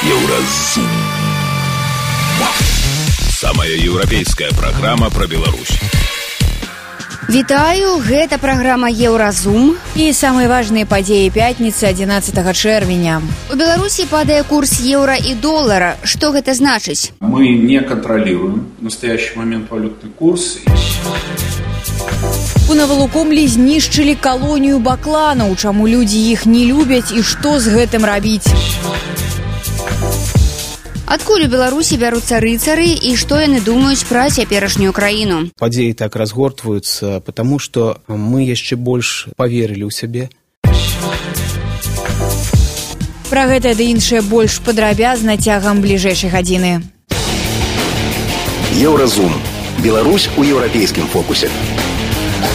Еўразум. Самая еўрапейская праграма пра Беларусь. Вітаю, гэта праграма Еўразум. І самыя важныя падзеі пятніцы 11 чэрвеня. У Беларусі падае курс еўра і долара. Што гэта значыць? Мы не контролируем в настоящий момент валютный курс. У Навалукомлі знішчылі калонію бакланаў. Чаму людзі іх не любяць і што з гэтым рабіць? Адкуль у Беларусі бяруцца рыцары і што яны думаюць пра цяперашнюю краіну? Падзеі так разгортваюцца, потому што мы яшчэ больш паверылі ў сябе. Пра гэта ды іншае больш падрабязна цягам бліжэйшай гадзіны. Еўразум. Беларусь у еўрапейскім фокусе.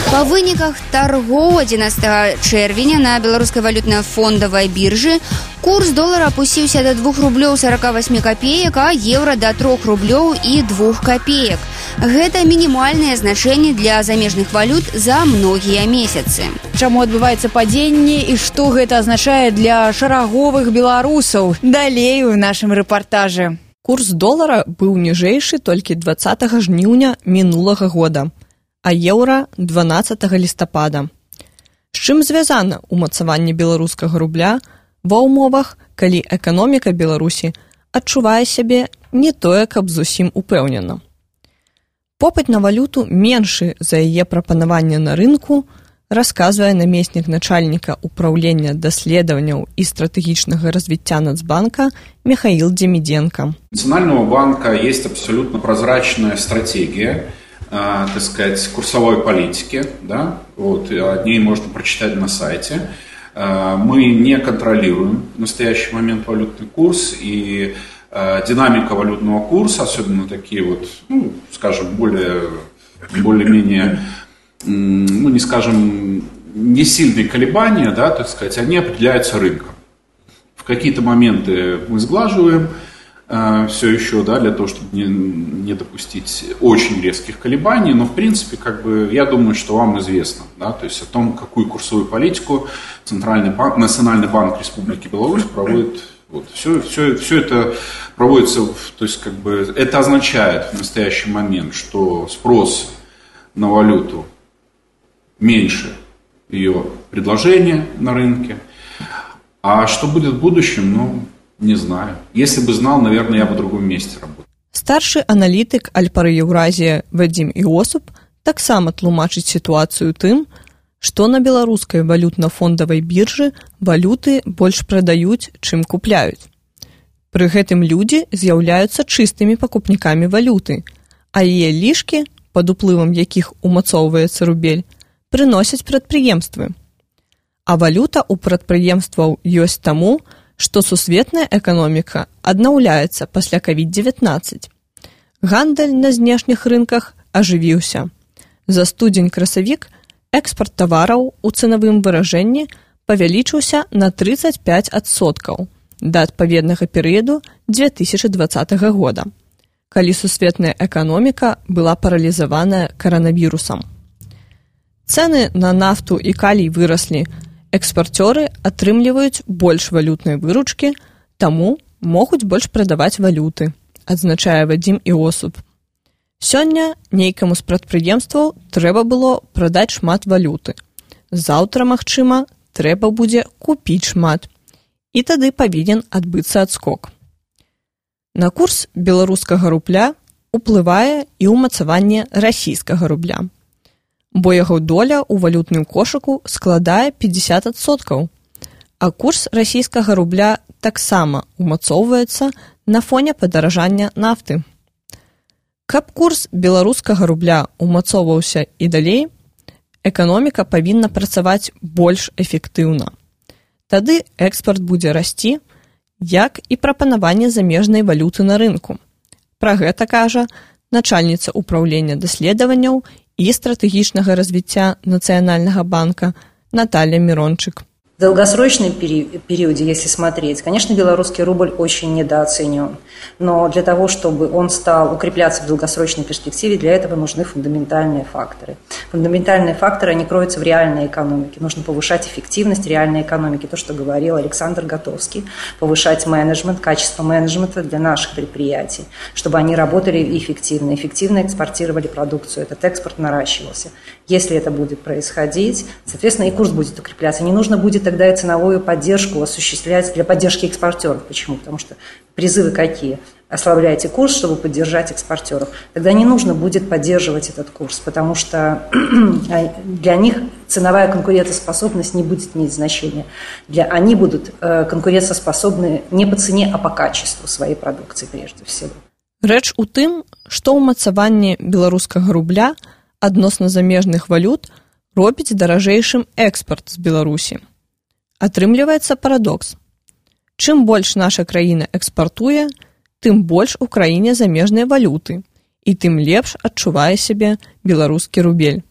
Па выніках таргоў 11 чэрвеня на беларускай валютна-фондавай біржы курс долара апусціўся да 2 рублёў 48 копеек, а еўра да 3 рублёў і 2 копеек. Гэта мінімальнае значэнне для замежных валют за многія месяцы. Чаму адбываецца падзенне і што гэта азначае для шараговых беларусаў? Далей у нашым рэпартажы. Курс долара быў ніжэйшы толькі 20 жніўня мінулага года, а еўра 12 лістапада. З чым звязана ўмацаванне беларускага рубля ва ўмовах, калі эканоміка Беларусі адчувае сябе не тое, каб зусім упэўнена. Попыт на валюту меншы за яе прапанаванне на рынку, расказвае намеснік начальніка управлення даследаванняў і стратэгічнага развіцця Нацбанка Михаил Демиденко. У Национального банка есть абсолютно прозрачная стратегия, так сказать, курсовой политики, да? Вот, о ней можно прочитать на сайте. Мы не контролируем в настоящий момент валютный курс, и динамика валютного курса, особенно такие вот, ну, скажем, более-менее, ну, не скажем, не сильные колебания, да, так сказать, они определяются рынком. В какие-то моменты мы сглаживаем все еще, да, для того, чтобы не допустить очень резких колебаний, но в принципе, как бы, я думаю, что вам известно, да, то есть о том, какую курсовую политику Национальный банк Республики Беларусь проводит. Вот, все это проводится, то есть как бы это означает в настоящий момент, что спрос на валюту меньше ее предложения на рынке, а что будет в будущем, ну, не знаю. Если бы знал, наверное, я бы в другом месте работал. Старшы аналітык Альпары Еўразія Вадзім Іосуп таксама тлумачыць сітуацыю тым, што на беларускай валютна-фондавай біржы валюты больш прадаюць, чым купляюць. Пры гэтым людзі з'яўляюцца чыстымі пакупнікамі валюты, а яе лішкі, пад уплывам якіх умацоўваецца рубель, прыносяць прадпрыемствы. А валюта ў прадпрыемстваў ёсць таму, што сусветная эканоміка аднаўляецца пасля COVID-19. Гандаль на знешніх рынках ажывіўся. За студзень-красавік экспарт тавараў у цэнавым выражэнні павялічыўся на 35% да адпаведнага перыяду 2020 года, калі сусветная эканоміка была паралізаваная каранавірусам. Цэны на нафту і калій выраслі, экспарцёры атрымліваюць больш валютнай выручкі, таму могуць больш прадаваць валюты, адзначае Вадзім Іосуп. Сёння нейкаму з прадпрыемстваў трэба было прадаць шмат валюты. Заўтра, магчыма, трэба будзе купіць шмат. І тады павінен адбыцца адскок. На курс беларускага рубля уплывае і ўмацаванне расійскага рубля, бо яго доля ў валютным кошыку складае 50%, а курс расійскага рубля таксама умацоўваецца на фоне падаражання нафты. Каб курс беларускага рубля умацоўваўся і далей, эканоміка павінна працаваць больш эфектыўна. Тады экспарт будзе расці, як і прапанаванне замежнай валюты на рынку. Пра гэта кажа начальніца управлення даследаванняў і стратэгічнага развіцця Нацыянальнага банка Наталья Мирончык. В долгосрочном периоде, если смотреть, конечно, белорусский рубль очень недооценен. Но для того, чтобы он стал укрепляться в долгосрочной перспективе, для этого нужны фундаментальные факторы. Фундаментальные факторы, они кроются в реальной экономике. Нужно повышать эффективность реальной экономики, то, что говорил Александр Готовский, повышать менеджмент, качество менеджмента для наших предприятий, чтобы они работали эффективно экспортировали продукцию, этот экспорт наращивался. Если это будет происходить, соответственно, и курс будет укрепляться. Не нужно будет тогда и ценовую поддержку осуществлять для поддержки экспортеров. Почему? Потому что призывы какие? Ослабляйте курс, чтобы поддержать экспортеров. Тогда не нужно будет поддерживать этот курс, потому что для них ценовая конкурентоспособность не будет иметь значения. Они будут конкурентоспособны не по цене, а по качеству своей продукции прежде всего. Рэч у тым, што ўмацаванне беларускага рубля адносна замежных валют робіць даражэйшым экспарт з Беларусі. Атрымліваецца парадокс. Чым больш наша краіна экспартуе, тым больш у краіне замежныя валюты, і тым лепш адчувае сябе беларускі рубель.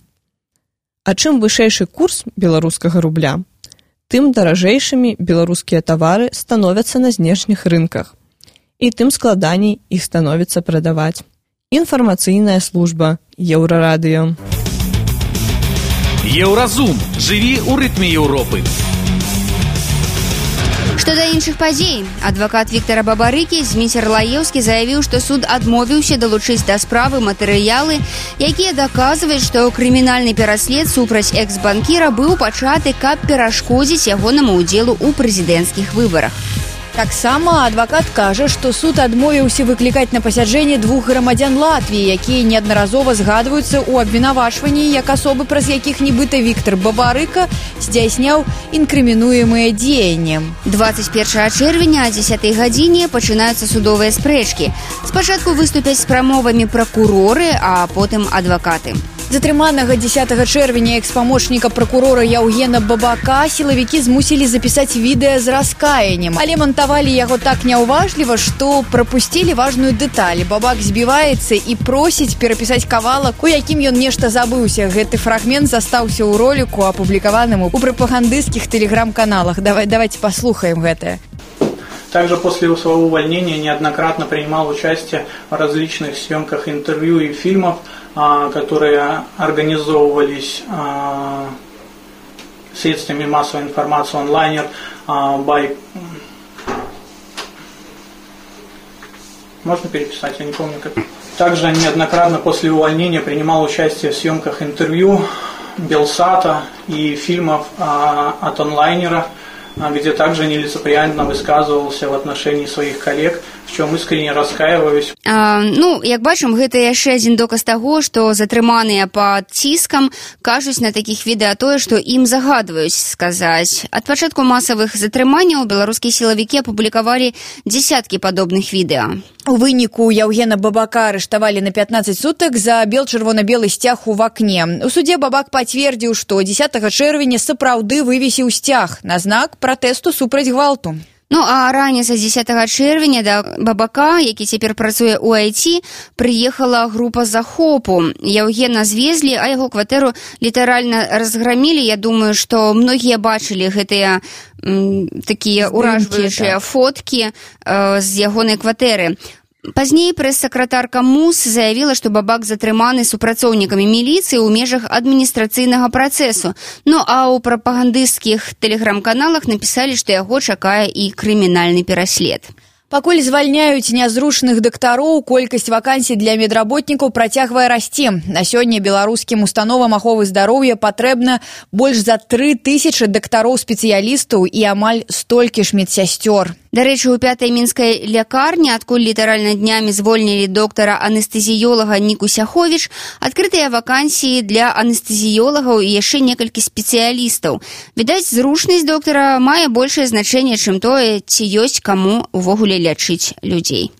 А чым вышэйшы курс беларускага рубля, тым даражэйшымі беларускія тавары становяцца на знешніх рынках, і тым складаней іх становіцца прадаваць. Інфармацыйная служба Еўрарадыё. Еўразум. Жыві ў рытме Еўропы. Што да іншых падзей, адвакат Віктара Бабарыкі Зміцер Лаеўскі заявіў, што суд адмовіўся далучыць да справы матэрыялы, якія даказваюць, што крымінальны пераслед супраць экс-банкіра быў пачаты, каб перашкодзіць ягонаму ўдзелу ў прэзідэнцкіх выбарах. Таксама адвакат кажа, што суд адмовіўся выклікаць на пасяджэнне 2 грамадзян Латвіі, якія неаднаразова згадваюцца ў абвінавачванні як асобы, праз якіх нібыта Віктар Бабарыка здзяйсняў інкрымінуемыя дзеянні. 21 чэрвеня о 10 гадзіне пачынаюцца судовыя спрэчкі. Спачатку выступяць з прамовамі пракуроры, а потым адвакаты. Затрыманага 10 чэрвеня экс-памочніка пракурора Яўгена Бабака сілавікі змусілі запісаць відэа з раскаяннем, але монтавалі яго так няўважліва, што прапусцілі важную дэталь. Бабак збіваецца і просіць перапісаць кавалак, у якім ён нешта забыўся. Гэты фрагмент застаўся ў роліку, апублікаваным у прапагандысцких телеграм-каналах. Давайте послухаем гэта. Также после своего увольнения неоднократно принимал участие в различных съемках интервью и фильмов, которые организовывались средствами массовой информации онлайнер Можно переписать, я не помню как. Также неоднократно после увольнения принимал участие в съемках интервью Белсата и фильмов от онлайнера, где также нелицеприятно высказывался в отношении своих коллег, в чем искренне раскаиваюсь. Як бачым, гэта яшчэ адзін доказ таго, што затрыманыя пад ціскам кажуць на такіх відэа тое, што ім загадваюць сказаць. Ад пачатку масавых затрыманняў беларускія сілавікі апублікавалі дзесяткі падобных відэа. У выніку Яўгена Бабака арыштавалі на 15 сутак за бел-чырвона-белы сцяг у вакне. У судзе Бабак пацвердзіў, што 10 чэрвеня сапраўды вывесіў сцяг на знак пратэсту супраць гвалту. А раніцай 10 чэрвеня да Бабака, які цяпер працуе ў IT, прыехала група захопу. Яўгена звезлі, а яго кватэру літаральна разграмілі. Я думаю, што многія бачылі гэтыя такія ўражваючыя фоткі з ягонай кватэры. Пазней прэс-сакратарка МУС заявіла, што Бабак затрыманы супрацоўнікамі міліцыі ў межах адміністрацыйнага працэсу. А ў прапагандысцкіх тэлеграм-каналах напісалі, што яго чакае і крымінальны пераслед. Пакуль звальняюць нязручных дактароў, колькасць вакансій для медработнікаў працягвае расці. На сёння беларускім установам аховы здароўя патрэбна больш за 3000 дактароў-спецыялістаў і амаль столькі ж медсясцёр. Дарэчы, у 5-й мінскай лякарні, адкуль літаральна днямі звольнілі доктара-анестэзіёлага Ніку Сяховіч, адкрытыя вакансіі для анестэзіёлагаў і яшчэ некалькі спецыялістаў. Відаць, зручнасць доктара мае большае значэнне, чым тое, ці ёсць каму увогуле лячыць людзей.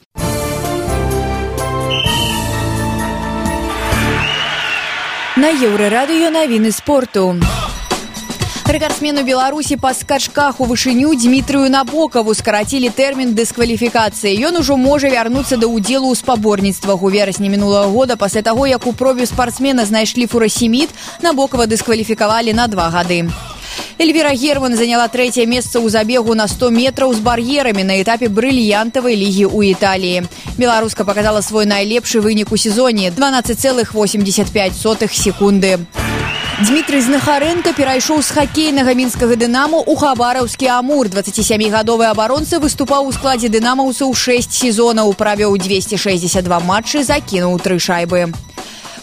На Еўрарадыё навіны спорту. Рэкардсмену Беларусі па скачках у вышыню Дмітрыю Набокаву скарацілі тэрмін дыскваліфікацыі. Ён ужо можа вярнуцца да ўдзелу ў спаборніцтвах. У верасні мінулага года, пасля таго, як у пробе спартсмена знайшлі фурасемід, Набокава дыскваліфікавалі на 2 гады. Эльвира Герман заняла 3-е месца ў забегу на 100 метраў з бар'ерамі на этапе брыльянтавай лігі ў Італіі. Беларуска показала свой найлепшы вынік у сезоне – 12,85 секунды. Дмітрый Знахаренко перайшоў з хакейнага мінскага «Дынаму» ў хабараўскі «Амур». 27-гадовы абаронца выступаў у складзе дынамаўцаў 6 сезонаў, правёў 262 матчы, закінуў 3 шайбы.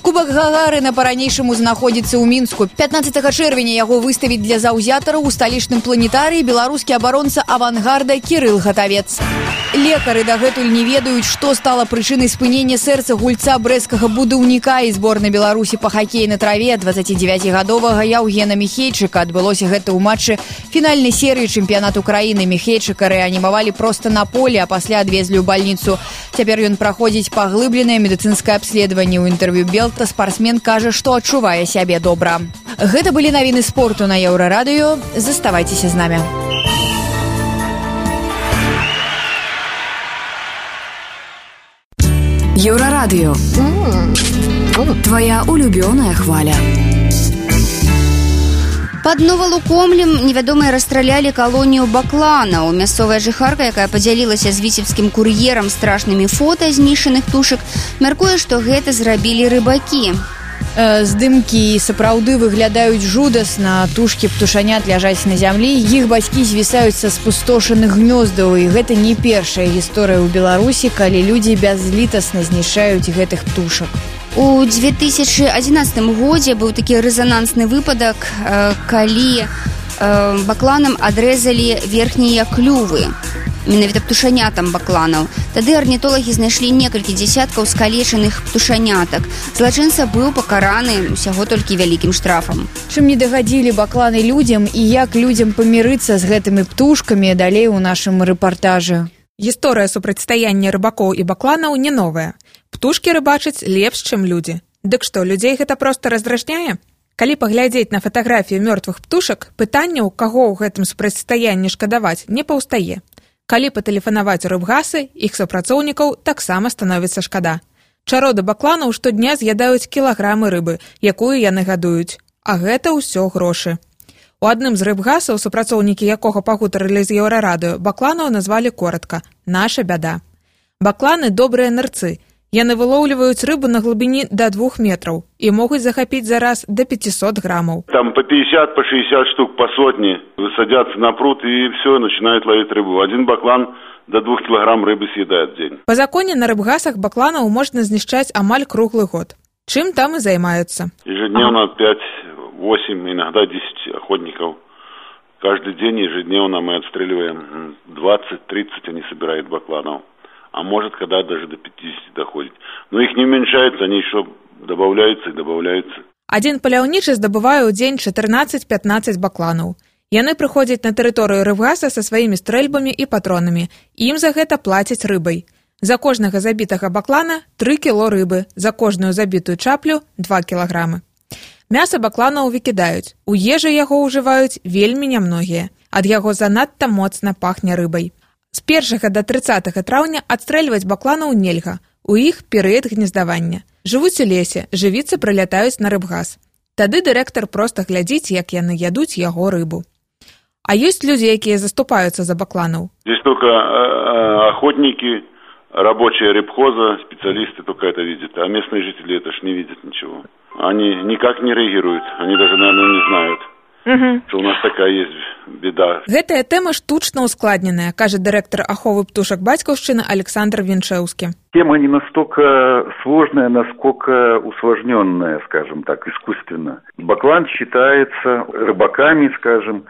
Кубак Гагарына па-ранейшаму знаходзіцца ў Мінску. 15 чэрвеня яго выставіць для заўзятараў у сталічным планетарыі беларускі абаронца «Авангарда» Кірыл Гатавец. Лекары дагэтуль не ведаюць, што стала прычынай спынення сэрца гульца брэсцкага будаўніка і зборнай Беларусі па хакеі на траве 29-гадовага Яўгена Міхейчыка. Адбылося гэта ў матчы фінальнай серыі чэмпіянату краіны. Міхейчыка рэанімавалі проста на поле, а пасля адвезлі ў бальніцу. Цяпер ён праходзіць паглыбленае медыцынскае абследаванне. У інтэрв'ю Белта спартсмен кажа, што адчувае сябе добра. Гэта былі навіны спорту на Еўрарадыё. Заставайцеся з намі. Еўрарадыё. Твоя улюбёная хваля. Пад Новалукомлем невядомыя расстралялі калонію бакланаў. Мясцовая жыхарка, якая падзялілася з віцебскім кур'ерам страшнымі фота знішчаных птушак, мяркуе, што гэта зрабілі рыбакі. Здымкі сапраўды выглядаюць жудасна. Тушкі птушанят ляжаць на зямлі, іх бацькі звісаюць са спустошаных гнёздаў. І гэта не першая гісторыя ў Беларусі, калі людзі бязлітасна знішчаюць гэтых птушак. У 2011 годзе быў такі рэзанансны выпадак, калі бакланам адрэзалі верхнія клювы. Менавіта птушанятам бакланаў. Тады арнітолагі знайшлі некалькі дзесяткаў скалечаных птушанятак. Злачынца быў пакараны усяго толькі вялікім штрафам. Чым не дагадзілі бакланы людзям і як людзям памірыцца з гэтымі птушкамі, далей у нашым рэпартажы. Гісторыя супрацьстаяння рыбакоў і бакланаў не новая. Птушкі рыбачаць лепш, чым людзі. Дык што, людзей гэта проста раздражняе? Калі паглядзець на фатаграфію мёртвых птушак, пытанняў, каго ў гэтым супрацьстаянні шкадаваць, не паўстае. Калі патэлефанаваць у рыбгасы, іх супрацоўнікаў таксама становіцца шкада. Чароды бакланаў штодня з'ядаюць кілаграмы рыбы, якую яны гадуюць. А гэта ўсё грошы. У адным з рыбгасаў, супрацоўнікі якога пагутарылі з Еўрарадыё, бакланаў назвалі коратка «Наша бяда». Бакланы добрыя нырцы. Яны вылоўліваюць рыбу на глыбіні до 2 метраў і могуць захапіць за раз до 500 граммов. Там по 50, по 60 штук, по сотне садятся на пруд и все, начинают ловить рыбу. Один баклан до 2 килограмм рыбы съедает в день. По законе на рыбгасах бакланаў можна знішчаць амаль круглый год. Чым там и занимаются? Ежедневно 5-8, иногда 10 охотников. Каждый день ежедневно мы отстреливаем 20-30, они собирают бакланов. А может, когда даже до 50 доходит. Но их не уменьшается, они еще добавляются и добавляются. Один паляўнічы здабывае ў дзень 14-15 бакланаў. Яны прыходзяць на тэрыторыю рыбгаса са сваімі стрэльбамі і патронамі. Ім за гэта плацяць рыбай. За кожнага забітага баклана 3 кіло рыбы, за кожную забітую чаплю 2 кілаграмы. Мяса бакланаў выкідаюць. У ежы яго ўжываюць вельмі нямногія. Ад яго занадта моцна пахне рыбай. З 1 до 30 траўня адстрэльваць бакланаў нельга. У іх перыяд гнездавання. Жывуць у лесе, жывіцы прылятаюць на рыбгас. Тады дырэктар проста глядзіць, як яны ядуць яго рыбу. А ёсць людзі, якія заступаюцца за бакланаў? Здесь только охотники, рабочие рыбхоза, специалисты только это видят. А местные жители это ж не видят ничего. Они никак не реагируют. Они даже, наверное, не знают. Что у нас такая есть беда. Гэтая тэма штучна ускладненая, кажа дырэктар аховы птушак бацькаўшчыны Александр Винчеўскі. Тема не настолько сложная, насколько усложненная, скажем так, искусственно. Баклан считается рыбаками, скажем,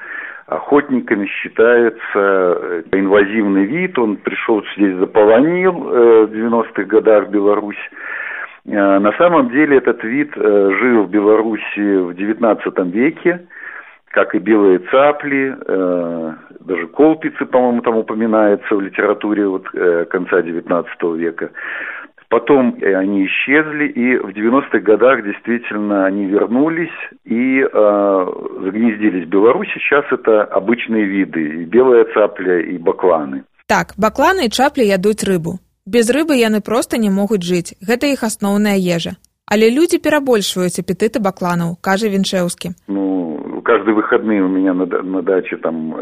охотниками считается инвазивный вид. Он пришел здесь, заполонил в 90-х годах Беларусь. На самом деле этот вид жил в Беларуси в 19 веке. Как и белые цапли, даже колпицы, по-моему, там упоминается в литературе конца XIX века. Потом они исчезли, и в 90-х годах действительно они вернулись и загнездились в Беларуси. Сейчас это обычные виды, и белая цапля, и бакланы. Так, бакланы і чаплі ядуць рыбу. Без рыбы яны проста не могуць жыць. Гэта іх асноўная ежа. Але людзі перабольшваюць апетыты бакланаў, кажа Вінчеўскі. каждые выходные у меня на даче там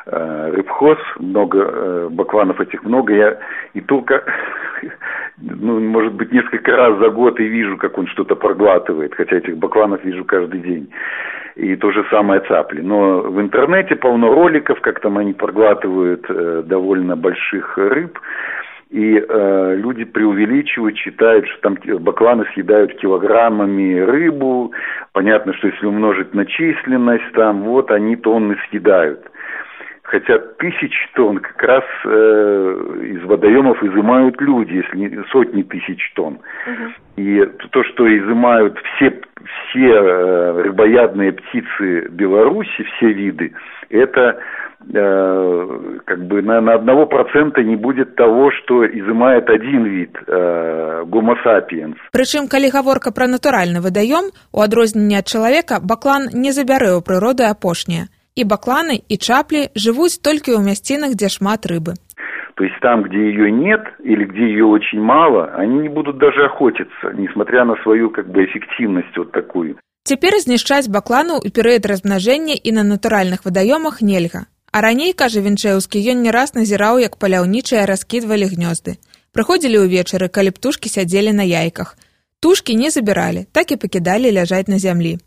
рыбхоз, много бакланов этих много. Я и только, может быть, несколько раз за год и вижу, как он что-то проглатывает, хотя этих бакланов вижу каждый день. И то же самое цапли. Но в интернете полно роликов, как там они проглатывают довольно больших рыб. И люди преувеличивают, считают, что там бакланы съедают килограммами рыбу. Понятно, что если умножить на численность, там вот они тонны съедают. Хотя 1000 тонн как раз из водоемов изымают люди, если не сотни тысяч тонн. И то, что изымают все рыбоядные птицы Беларуси, все виды, это как бы на 1% не будет того, что изымает один вид Homo sapiens. Прычым, калі гаворка пра натуральны вадаём, у адрозненне ад чалавека, баклан не забярэ ў прыроды апошняе. І бакланы, і чаплі жывуць толькі ў мясцінах, дзе шмат рыбы. То есть там, где ее нет или где ее очень мало, они не будут даже охотиться, несмотря на свою как бы эффективность вот такую. Цяпер знішчаць баклану ў перыяд размнажэння і на натуральных вадаёмах нельга. А раней, кажа Вінчэўскі, ён не раз назіраў, як паляўнічыя раскідвалі гнёзды. Прыходзілі ўвечары, калі птушкі сядзелі на яйках. Тушкі не забіралі, так і пакідалі ляжаць на зямлі.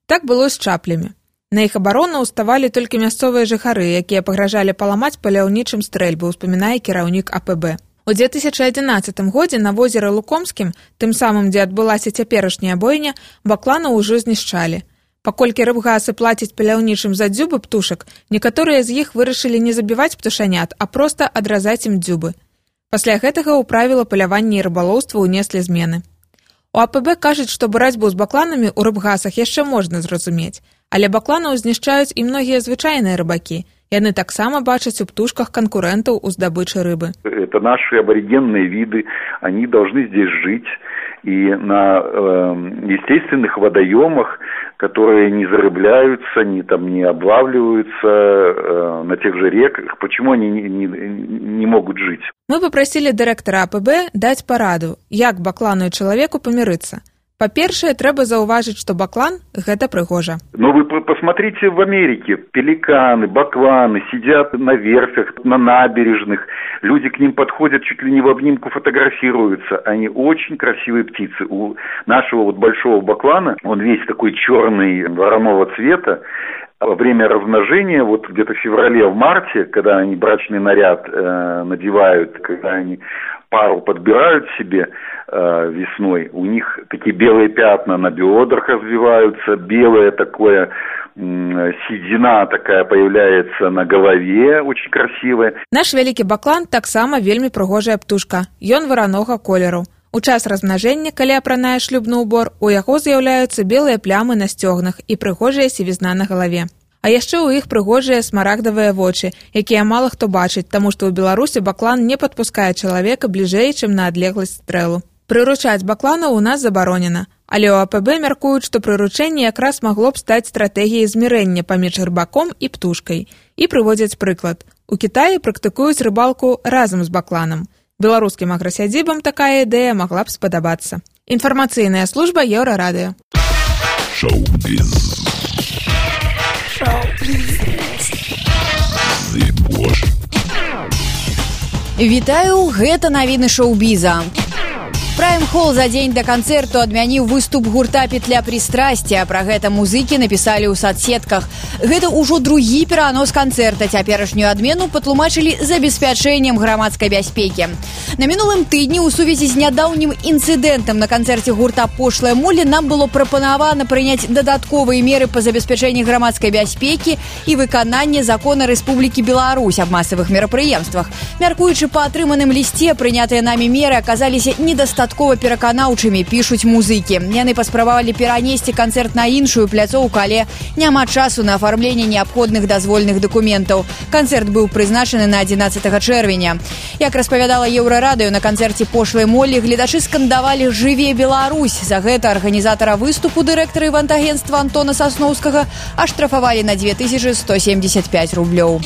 Так было з чаплямі. На іх абарону ўставалі толькі мясцовыя жыхары, якія пагражалі паламаць паляўнічым стрэльбы, успамінае кіраўнік АПБ. У 2011 годзе на возеры Лукомскім, тым самым, дзе адбылася цяперашняя бойня, баклану ўжо знішчалі. Паколькі рыбгасы плацяць паляўнічым за дзюбы птушак, некаторыя з іх вырашылі не забіваць птушанят, а проста адразаць ім дзюбы. Пасля гэтага ў правіла палявання і рыбалоўства ўнеслі змены. У АПБ кажуць, што барацьбу з бакланамі ў рыбгасах яшчэ можна зразумець, але бакланаў знішчаюць і многія звычайныя рыбакі. Яны таксама бачаць у птушках конкурентаў у здабычы рыбы. Это наши аборигенные виды, они должны здесь жить. И на естественных водоемах, которые не зарыбляются, не облавливаются, на тех же реках, почему они не могут жить? Мы попросили дырэктара АПБ даць параду, як баклану і чалавеку памірыцца. Па-першае, трэба заўважыць, што баклан – гэта прыгожа. Но вы посмотрите в Америке. Пеликаны, бакланы сидят на верфях, на набережных. Люди к ним подходят, чуть ли не в обнимку фотографируются. Они очень красивые птицы. У нашего вот большого баклана, он весь такой черный, вороного цвета. Во время размножения, вот где-то в феврале, в марте, когда они брачный наряд надевают, когда они пару подбирают себе весной, у них такие белые пятна на бедрах развиваются, белое такое, седина такая появляется на голове, очень красивая. Наш вялікі баклан таксама вельмі прыгожая птушка. Ён варанога колеру. У час размнажэння, калі апранае шлюбны ўбор, у яго з'яўляюцца белыя плямы на сцёгнах і прыгожая сівізна на галаве. А яшчэ ў іх прыгожыя смарагдавыя вочы, якія мала хто бачыць, таму што ў Беларусі баклан не падпускае чалавека бліжэй, чым на адлегласць стрэлу. Прыручаць бакланаў у нас забаронена, але ў АПБ мяркуюць, што прыручэнне якраз магло б стаць стратэгіяй змірэння паміж рыбаком і птушкай. І прыводзяць прыклад. У Кітаі практыкуюць рыбалку разам з бакланам. Беларускім аграсядзібам такая ідэя магла б спадабацца. Інфармацыйная служба Еўрарадыё. Вітаю, гэта навіны шоу-біза. Прайм-хол за дзень да канцэрту адмяніў выступ гурта «Петля пристрастия». Пра гэта музыкі напісалі ў садсетках. Гэта ўжо другі перанос канцэрта. Цяперашнюю адмену патлумачылі забеспячэннем грамадскай бяспекі. На мінулым тыдні ў сувязі з нядаўнім інцыдэнтам на канцэрце гурта «Пошлая молі» нам было прапанавана прыняць дадатковыя меры па забеспячэнні грамадскай бяспекі і выкананне закона Рэспублікі Беларусь аб масавых мерапрыемствах. Мяркуючы па атрыманым лісце, прынятыя намі меры аказаліся недастаткова пераканаўчымі, пішуць музыкі. Яны паспрабавалі перанесці канцэрт на іншую пляцоўку, але няма часу на афармленне неабходных дазвольных дакументаў. Канцэрт быў прызначаны на 11 чэрвеня. Як распавядала Еўрарадыё, на канцэрце «Пошлай молі» гледачы скандавалі «Жыве Беларусь». За гэта арганізатара выступу, дырэктара івэнтагенцтва Антона Сасноўскага, аштрафавалі на 2175 рублёў.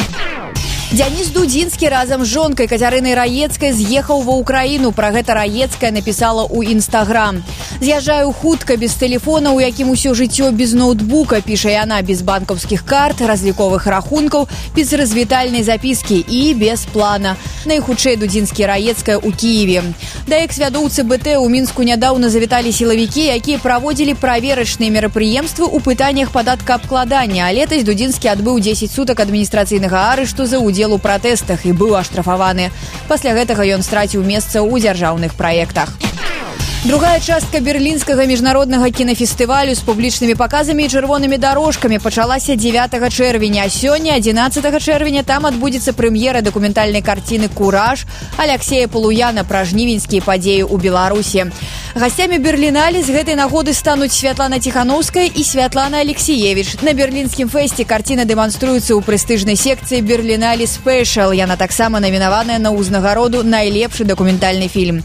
Дзяніс Дудзінскі разам з жонкай Кацярынай Раецкай з'ехаў ва ўкраіну. Пра гэта Раецкая напісала ў Інстаграм. «З'язджаю хутка, без тэлефона, у якім усё жыццё без ноутбука», піша яна, без банкаўскіх карт, разліковых рахункаў, без развітальнай запіскі і без плана. Найхутчэй Дудзінскі і Раецкая ў Кіеве. Да экс-вядоўцы БТ ў Мінску нядаўна завіталі сілавікі, якія праводзілі праверачныя мерапрыемствы ў пытаннях падаткаабкладання. А летась Дудзінскі адбыў 10 сутак адміністрацыйнага арышту за удзел у пратэстах і быў аштрафаваны. Пасля гэтага ён страціў месца ў дзяржаўных праектах. Другая частка берлінскага міжнароднага кінафестывалю з публічнымі паказамі і чырвонымі дарожкамі пачалася 9 чэрвеня. Сёння, 11 чэрвеня, там адбудзецца прэм'ера дакументальнай карціны «Кураж» Аляксея Палуяна пра жнівеньскія падзеі ў Беларусі. Гасцямі Берлінале з гэтай нагоды стануць Святлана Ціханаўская і Святлана Алексіевіч. На берлінскім фэсце карціна дэманструецца ў прэстыжнай секцыі «Берлінале Спэшал». Яна таксама намінаваная на ўзнагароду «Найлепшы дакументальны фільм».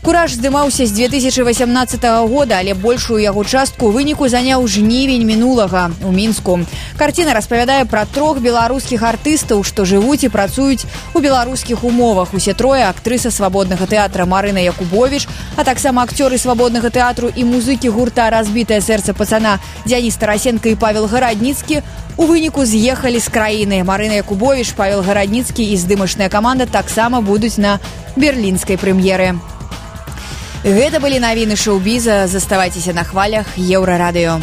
«Кураж» здымаўся з 2018 года, але большую яго частку ў выніку заняў жнівень мінулага ў Мінску. Карціна распавядае пра 3 беларускіх артыстаў, што жывуць і працуюць у беларускіх умовах. Усе трое актрыса свабоднага тэатра Марына Якубовіч, а таксама акцёры свабоднага тэатру і музыкі гурта «Разбітае сэрца пацана» Дзяніс Тарасенко і Павел Гарадніцкі у выніку з'ехалі з краіны. Марына Якубовіч, Павел Гарадніцкі і здымачная каманда таксама будуць на берлінскай прэм'еры. Гэта былі навіны шоу-біза. Заставайцеся на хвалях Еўрарадыё.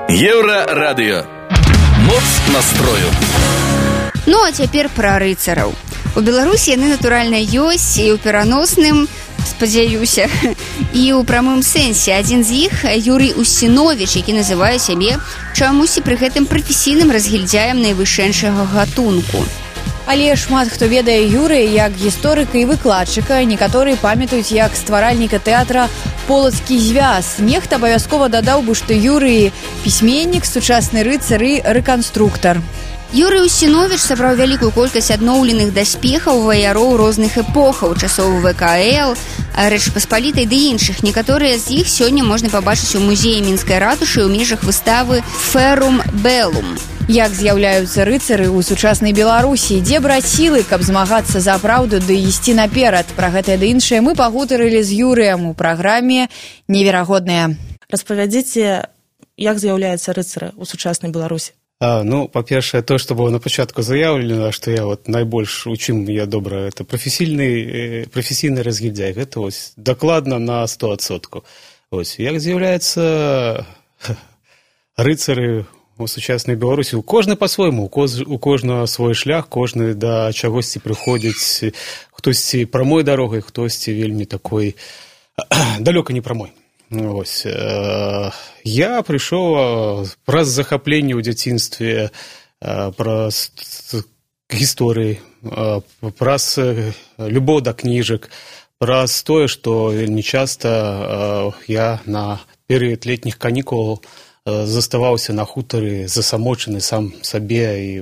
Еўрарадыё. Моц настрою. Ну, а цяпер пра рыцараў. У Беларусі яны, натуральна, ёсць і ў пераносным, спадзяюся, і ў прамым сэнсе. Адзін з іх – Юрый Устинович, які называе сябе чамусьці пры гэтым прафесійным разгільдзяем найвышэйшага гатунку. Але шмат хто ведае Юрыя як гісторыка і выкладчыка. Некаторыя памятаюць як стваральніка тэатра «Полацкі звяз». Нехта абавязкова дадаў бы, што Юрый – пісьменнік, сучасны рыцар і рэканструктар. Юрый Устинович сабраў вялікую колькасць адноўленых даспехаў ваяроў розных эпохаў, часоў ВКЛ, Рэчы Паспалітай ды іншых. Некаторыя з іх сёння можна пабачыць у музеі Мінскай ратушы ў межах выставы «Ферум Белум». Як з'яўляюцца рыцары ў сучаснай Беларусі, дзе браць сілы, каб змагацца за праўду ды ісці наперад. Пра гэтае ды іншае мы пагутарылі з Юрыем у праграме «Неверагоднае». Распавядзіце, як з'яўляюцца рыцары ў сучаснай Беларусі? Ну, па-першае, то, што было на пачатку заяўлена, што я найбольш, у чым я добра, это прафесійны разгільдзяй. Гэта дакладна на 100%. Як з'яўляюцца рыцары у сучаснай Беларусі? У кожны па-свойму, у кожнага свой шлях, кожны да чагосьці прыходзіць, хтосьці прамой дарогай, хтосьці вельмі такой далёка не прамой. Я прыйшоў праз захапленне ў дзяцінстве, праз гісторыі, праз любоў да кніжак, праз тое, што вельмі часта я на перыяд летніх канікулаў заставаўся на хутары засамочаны сам сабе, і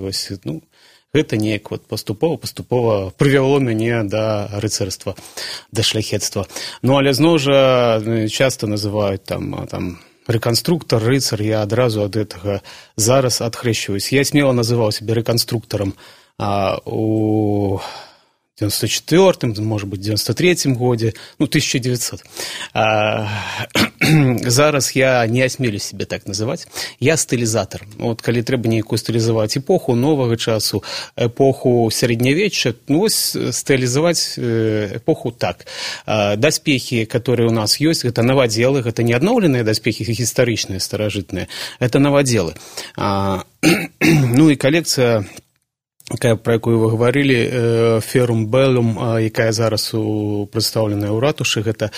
гэта неяк паступова прывяло мяне да рыцарства, да шляхецтва. Ну, але зноў жа часта называюць там рэканструктар, рыцар, я адразу ад гэтага зараз адхрэсчваюсь. Я смела называў сябе рэканструктарам у 94-м, может быть, 93-м годзе, 1900. Зараз я не асмелю себе так называць. Я стылізатар. Калі трэба нейкую стылізаваць эпоху новага часу, эпоху сярэднявечча, стылізаваць эпоху так. Даспехі, которые у нас ёсць, гэта навадзелы, гэта не адноўленыя даспехі гістарычныя, старажытныя, это навадзелы. Ну і колекцыя, про якую вы гаварылі, «Ферум Белум», якая зараз прадстаўленая ў ратушы, гэта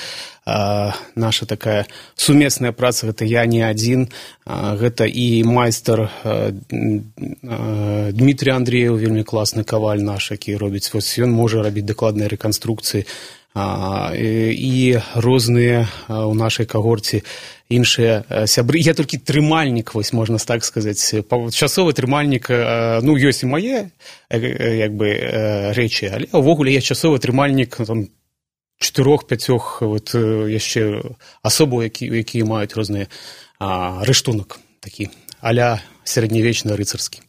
наша такая сумесная праца, гэта я не адзін, гэта і майстар Дмітрий Андреев, вельмі класны каваль наш, які робіць, ён можа рабіць дакладныя рэканструкцыі, і розныя ў нашай кагорце іншыя сябры. Я толькі трымальнік, можна так сказаць, часовы трымальнік, ёсць і мае рэчы, але ўвогуле я часовы трымальнік 4-5 яшчэ асобаў, якія маюць розныя рыштунак. такі а-ля сярэднявечны рыцарскі.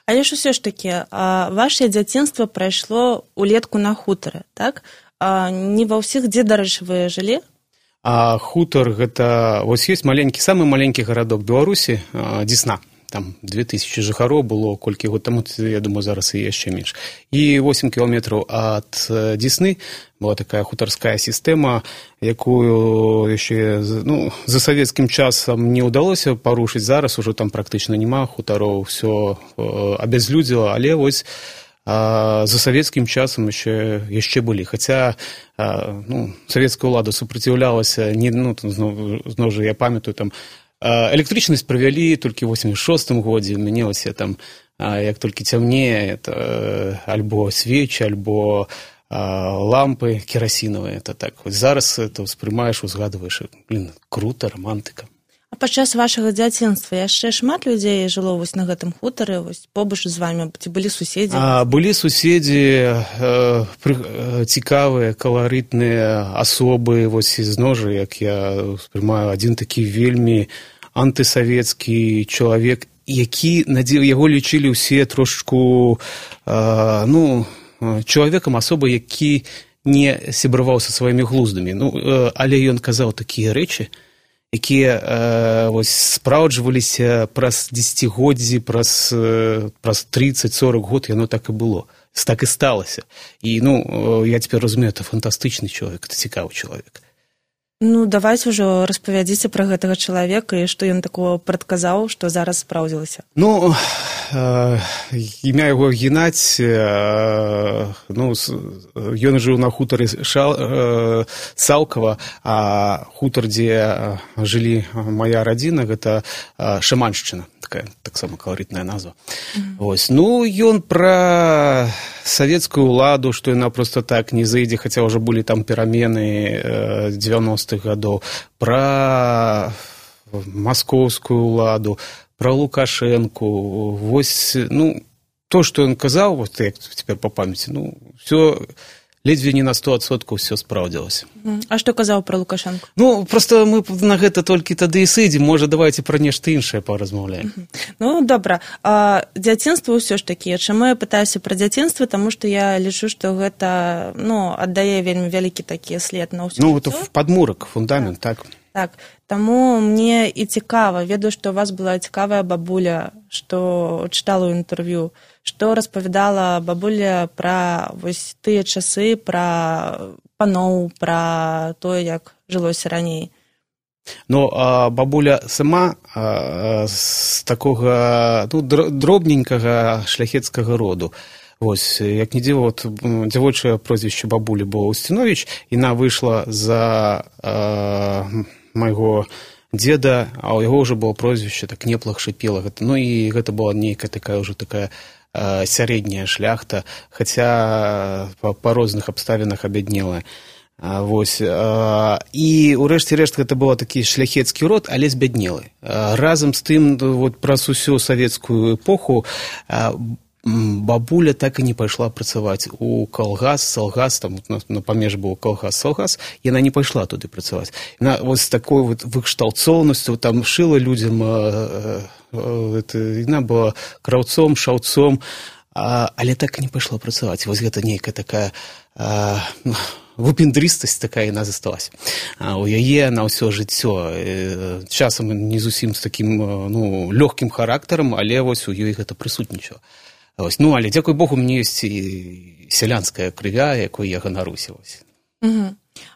Але ж усё ж такі, ваше дзяцінства прайшло улетку на хутары, так? Не ва ўсіх, дзе, дарэчы, вы жылі? Хутар, гэта, вось ёсць маленькі, самы маленькі гарадок Беларусі, Дзесна. Там 2000 жыхароў было колькі год таму, я думаю, зараз і яшчэ менш. І 8 кіламетраў ад Дзесны была такая хутарская сістэма, якую яшчэ за савецкім часам не ўдалося парушыць. Зараз ужо там практычна няма хутароў, ўсё абязлюдзіла, але вось за савецкім часам яшчэ былі. Хаця савецкая ўлада супраціўлялася, зноў жа я памятаю, там электрычнасць правялі толькі ў 86-м годзе, мянілася там, як толькі цямнее, альбо свечы, альбо лампы керасінавыя, это так. Зараз это ўспрымаеш, узгадваеш, крута, романтыка. А падчас вашага дзяцінства яшчэ шмат людзей жыло вось на гэтым хутары, вось побач з вамі, ці былі суседзі? Былі суседзі, цікавыя, каларытныя асобы, вось зноў жа, як я ўспрымаю, адзін такі вельмі антысавецкі чалавек, які, яго лічылі ўсе трошку, чалавекам асоба, які не сябраваў са сваімі глуздамі. Але ён казаў такія рэчы, якія спраўджваліся праз дзесяцігоддзі, праз 30-40 год, яно так і было. Так і сталася. І, я цяпер разумею, это фантастычны чалавек, это цікавы чалавек. Давайце ўжо распавядзіце пра гэтага чалавека і што ён такого прадказаў, што зараз спраўдзілася. Імя яго Геннадзь, ён жыў на хутары Салкава, а хутар, дзе жылі мая радзіна, гэта Шаманшчына, такая таксама каларытная назва. Ён пра савецкую ўладу, што яна проста так не зайдзе, хаця ўжо былі там перамены 90-х гадоў, пра маскоўскую ўладу, пра Лукашэнку. Вось, то, што ён казаў, вот як цяпер па памяці, ўсё ледзьве не на 100% ўсё спраўдзілася. А што казаў пра Лукашэнку? Проста мы на гэта толькі тады і сыдзем, можа, давайце пра нешта іншае паразмаўляем. Добра. Дзяцінства ўсё ж такі. Чаму я пытаюся пра дзяцінства? Таму што я лічу, што гэта, аддае вельмі вялікі такі след на ўсё. Гэта падмурак, фундамент, так. Так, таму мне і цікава, ведаю, што у вас была цікавая бабуля, што чытала ў інтэрв'ю, што распавядала бабуля пра вось тыя часы, пра паноў, пра тое, як жылося раней. Бабуля сама з такога дробненькага шляхецкага роду. Вось, як не дзіва, дзявочае прозвішча бабулі было Устинович, яна выйшла за майго дзеда, а ў яго ўжо было прозвішча так неплах шыпела. І гэта была нейкая такая ўжо такая сярэдняя шляхта, хаця па розных абставінах абяднелая. І ў рэшце рэшт гэта была такі шляхецкі род, але збяднелы. Разам з тым, праз усю савецкую эпоху бабуля так і не пайшла працаваць у калгас, салгас, там на памеж быў калгас-салгас, яна не пайшла туды працаваць. Яна вось такой выкшталцоўнасцю там шыла людзям, яна была краўцом, шаўцом, але так і не пайшла працаваць. Вось гэта нейкая такая выпендрыстасць такая яна засталась. У яе на ўсё жыццё. Часам не зусім з такім лёгкім характарам, але вось у ёй гэта прысутнічала. Але, дзякуй Богу, мне ёсць і сялянская крывя, якой я ганаруся.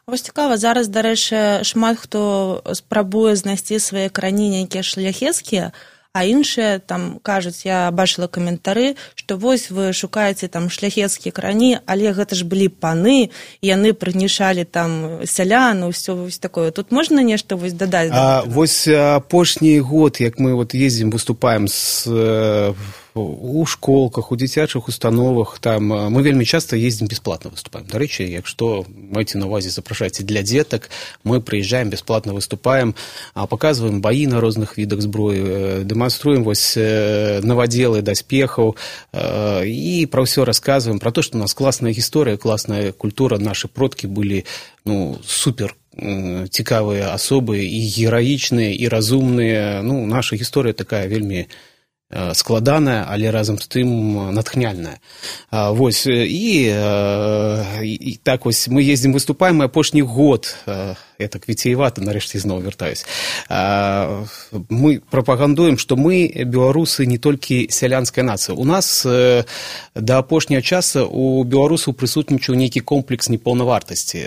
Вось цікава, зараз, дарэчы, шмат хто спрабуе знайсці свае карані нейкія шляхецкія, а іншыя там кажуць, я бачыла каментары, што вось вы шукаеце там шляхецкія карані, але гэта ж былі паны, яны прыгнішалі там сялян, усё вось такое. Тут можна нешта вось дадаць? Вось апошні год, як мы ездзім, выступаем у школках, у дзіцячых установах, там мы вельмі часта ездзім бесплатна выступаем. Дарэчы, як што, майце на увазе, запрашайце для дзетак, мы прыязджаем, бесплатна выступаем, паказваем баі на розных відах зброі, дэманструем вось навадзелы даспехаў і пра ўсё расказваем, пра то, што у нас класная гісторыя, класная культура, нашы продкі былі супер цікавыя асобы, і гераічныя, і разумныя. Ну, наша гісторыя такая вельмі складаная, але разам з тым натхняльная. Вось, і так вось мы ездзім, выступаем, і апошні год, я так віцеявата, нарэшце зноў вяртаюсь, мы прапагандуем, што мы, беларусы, не толькі сялянская нацыя. У нас да апошняга часа у беларусаў прысутнічаў нейкі комплекс непаўнавартасці,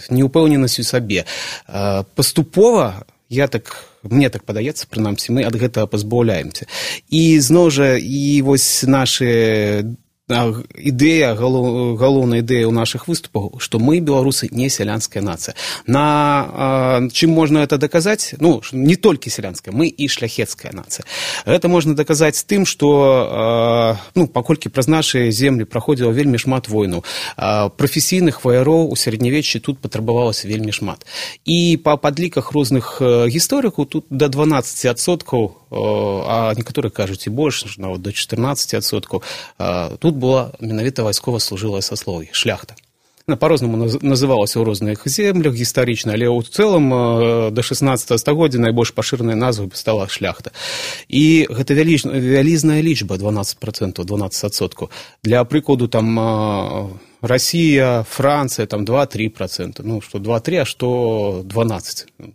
неўпэўненасць у сабе. Паступова, мне так падаецца, прынамсі, мы ад гэтага пазбаўляемся. І зноў жа, і вось наша ідэя, галоўная ідэя ў нашых выступах, што мы, беларусы, не сялянская нацыя. Чым можна гэта даказаць? Ну, не толькі сялянская, мы і шляхецкая нацыя. Гэта можна даказаць тым, што, паколькі праз нашы землі праходзіла вельмі шмат войнаў, прафесійных ваяроў у сярэднявеччы тут патрабавалася вельмі шмат. І па падліках розных гісторыкаў тут да 12%, а некаторыя кажуць і больш, нават до 14%, тут была менавіта вайскова-служылае саслоўе, шляхта. Па-рознаму называлася ў розных землях гістарычна, але ў цэлым да 16 стагоддзя найбольш пашыранай назвай стала шляхта. І гэта вялізная лічба, 12%, 12%. Для прыкладу, там Расія, Францыя, там 2-3%. Ну, што 2-3, а што 12%.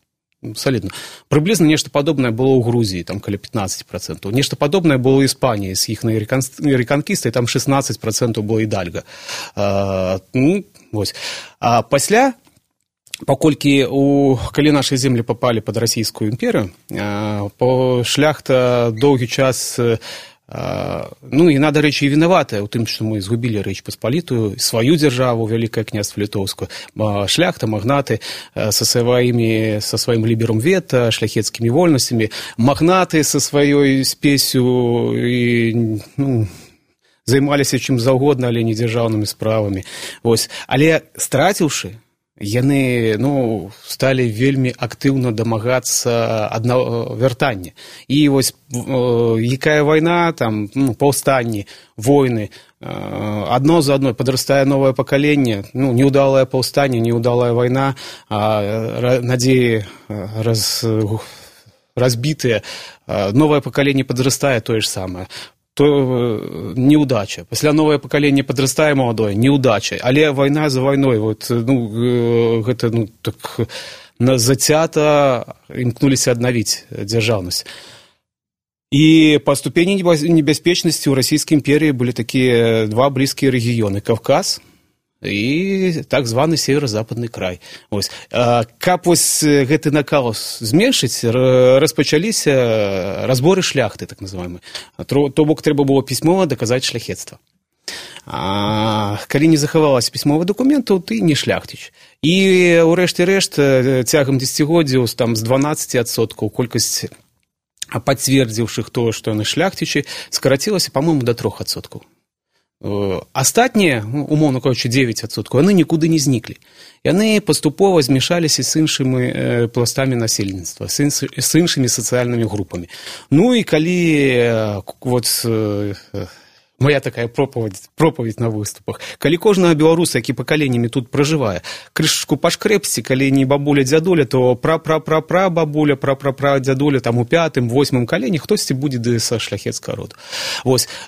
Солидно. Прыблізна нешта падобнае было ў Грузіі, там каля 15%. Нешта падобнае было ў Іспаніі з іхнай рэканкістай, там 16% было Ідальга. Вось. А пасля, паколькі калі нашы землі папалі пад расійскую імперыю, шляхта доўгі час, яна, дарэчы, і вінаватая ў тым, што мы згубілі Рэч Паспалітую, сваю дзяржаву, Вялікае княства Літоўскую. Шляхта, магнаты са сваім ліберум вета, шляхецкімі вольнасцямі, магнаты са сваёй спесю займаліся чым заўгодна, але не дзяржаўнымі справамі. Але страціўшы, яны сталі вельмі актыўна дамагацца вяртання. І вось якая вайна, там, паўстанні, войны, адно за адной падрастае новае пакаленне, неўдалае паўстанне, неўдалая вайна, надзеі разбітыя, новае пакаленне падрастае, тое ж самае. То неудача. Пасля новае пакаленне падрастае маладое, неудача. Але вайна за вайной, гэта так зацята імкнуліся аднавіць дзяржаўнасць. І па ступені небяспечнасці ў расійскай імперыі былі такія два блізкія рэгіёны: Кавказ і так званы северо-западны край. Каб гэты накал зменшыць, распачаліся разборы шляхты, так называемыя. То бок трэба было пісьмова даказаць шляхецтва. Калі не захавалася пісьмовых дакументаў, ты не шляхціч. І ўрэшце рэшт, цягам дзесяцігоддзяў з 12% колькасць пацвердзіўшых тое, што яны шляхцічы, скарацілася, па-моему, до 3%. Астатнія, умоўна кажучы, 9%, яны нікуды не зніклі. Яны паступова змяшаліся з іншымі пластамі насельніцтва, з іншымі сацыяльнымі групамі. Ну і калі моя такая пропаведь на выступах, калі кожнага беларуса, які пакаленнямі тут пражывае, крышачку пашкрэпсці, калі не бабуля-дзядуля, то пра-пра-пра-пра-бабуля, пра-пра-пра-дзядуля, там у 5-м, 8-м каленні хтосьці будзе са шляхецкага роду.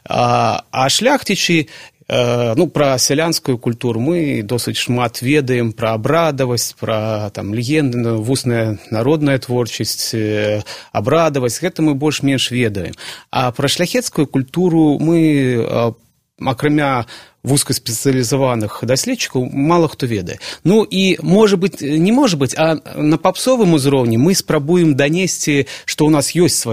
А шляхцічы, пра сялянскую культуру мы досыць шмат ведаем, пра абрадавасць, пра легенды, вусная народная творчасць, абрадавасць, гэта мы больш-менш ведаем. А пра шляхецкую культуру мы, акрамя вузкаспецыялізаваных даследчыкаў, мала хто ведае. Ну і, не можа быць, а на папсовым узроўні мы спрабуем данесці, што ў нас ёсць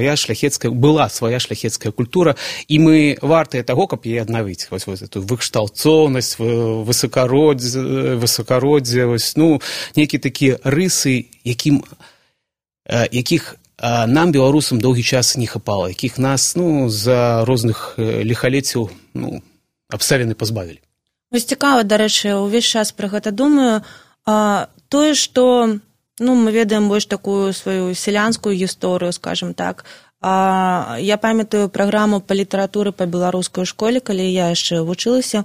была свая шляхецкая культура, і мы вартыя таго, каб яе аднавіць. Эту выкшталцоўнасць, высакароддзе, нейкія такія рысы, якіх нам, беларусам, доўгі час не хапала, якіх нас за розных ліхалеццяў абставіны пазбавілі. Вось цікава, дарэчы, увесь час пра гэта думаю. Тое, што мы ведаем больш такую сваю сялянскую гісторыю, скажем так, Я памятаю праграму па літаратуры па беларускай школе, калі я яшчэ вучылася.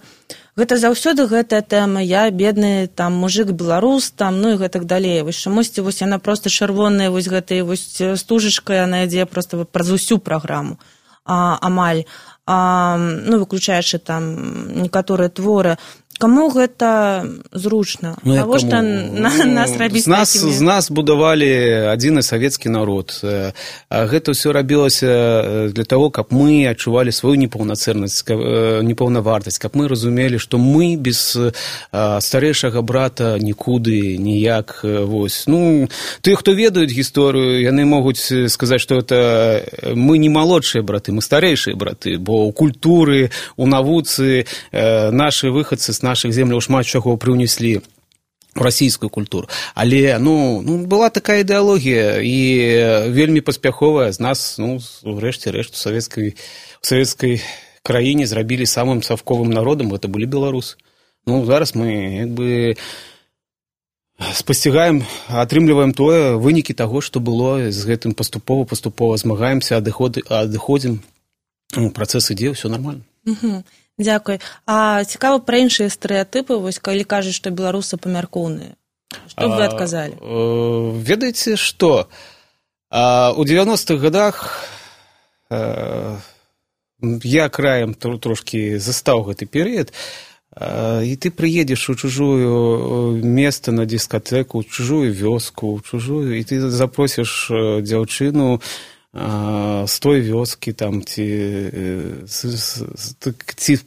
Гэта заўсёды гэтая тэма, я бедны там мужик беларус, там, ну і гэтак далей. Вось чамусьці вось яна проста чырвоная, вось гэтай вось стужачкай, яна ідзе проста праз усю праграму амаль. Ну, выключаючы там некаторыя творы. Каму гэта зручна? Навошта нас рабіць такімі? З нас будавалі адзіны савецкі народ. Гэта ўсё рабілася для того, каб мы адчувалі сваю непаўнацэннасць, непаўнавартасць, каб мы разумелі, што мы без старэйшага брата нікуды, ніяк. Вось. Ну, тыя, хто ведаюць гісторыю, яны могуць сказаць, што это мы не малодшыя браты, мы старэйшыя браты, бо ў культуры, у навуцы нашы выхадцы з наших земляў шмат чаго прыўнеслі у расійскую культуру. Але, была такая ідэалогія, і вельмі паспяховая з нас, рэшце-рэшт, у савецкай краіне зрабілі самым савковым народам, гэта былі беларусы. Зараз мы, спасцігаем, атрымліваем вынікі таго, што было, з гэтым паступова змагаемся, адыходзім, працэс ідзе, ўсё нармальна. Дзякуй. А цікава пра іншыя стэрэатыпы, вось калі кажуць, што беларусы памяркоўныя. Што б вы адказалі? Ведаеце, што? У 90-х годах я краем трошкі застаў гэты перыяд, і ты прыедзеш у чужую место на дыскатэку, у чужую вёску, і ты запросіш дзяўчыну з той вёскі, там, ці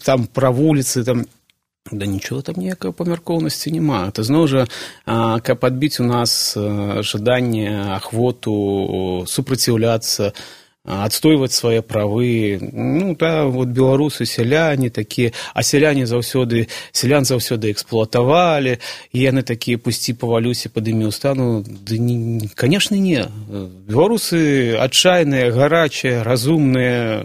там пра вуліцы, там, да нічого там ніякай памяркоўнасці няма. Это зноў жа, каб адбіць у нас жаданне, ахвоту супраціўляцца, адстойваць свае правы. Вот беларусы, сяляне такія, а сялян заўсёды эксплуатавалі, і яны такія, пусці павалюся, падымі ўстану. Канешне, не. Беларусы адчайныя, гарачыя, разумныя,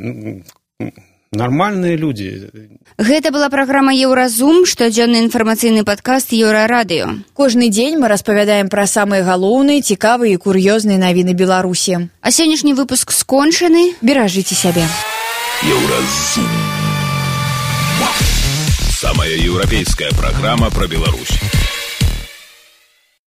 нармальныя людзі. Гэта была праграма «Еўразум», штодзённы інфармацыйны падкаст «Еўрарадыё». Кожны дзень мы распавядаем пра самыя галоўныя, цікавыя і кур'ёзныя навіны Беларусі. А сённяшні выпуск скончаны. Беражыце сябе. «Еўразум». Самая еўрапейская праграма пра Беларусь.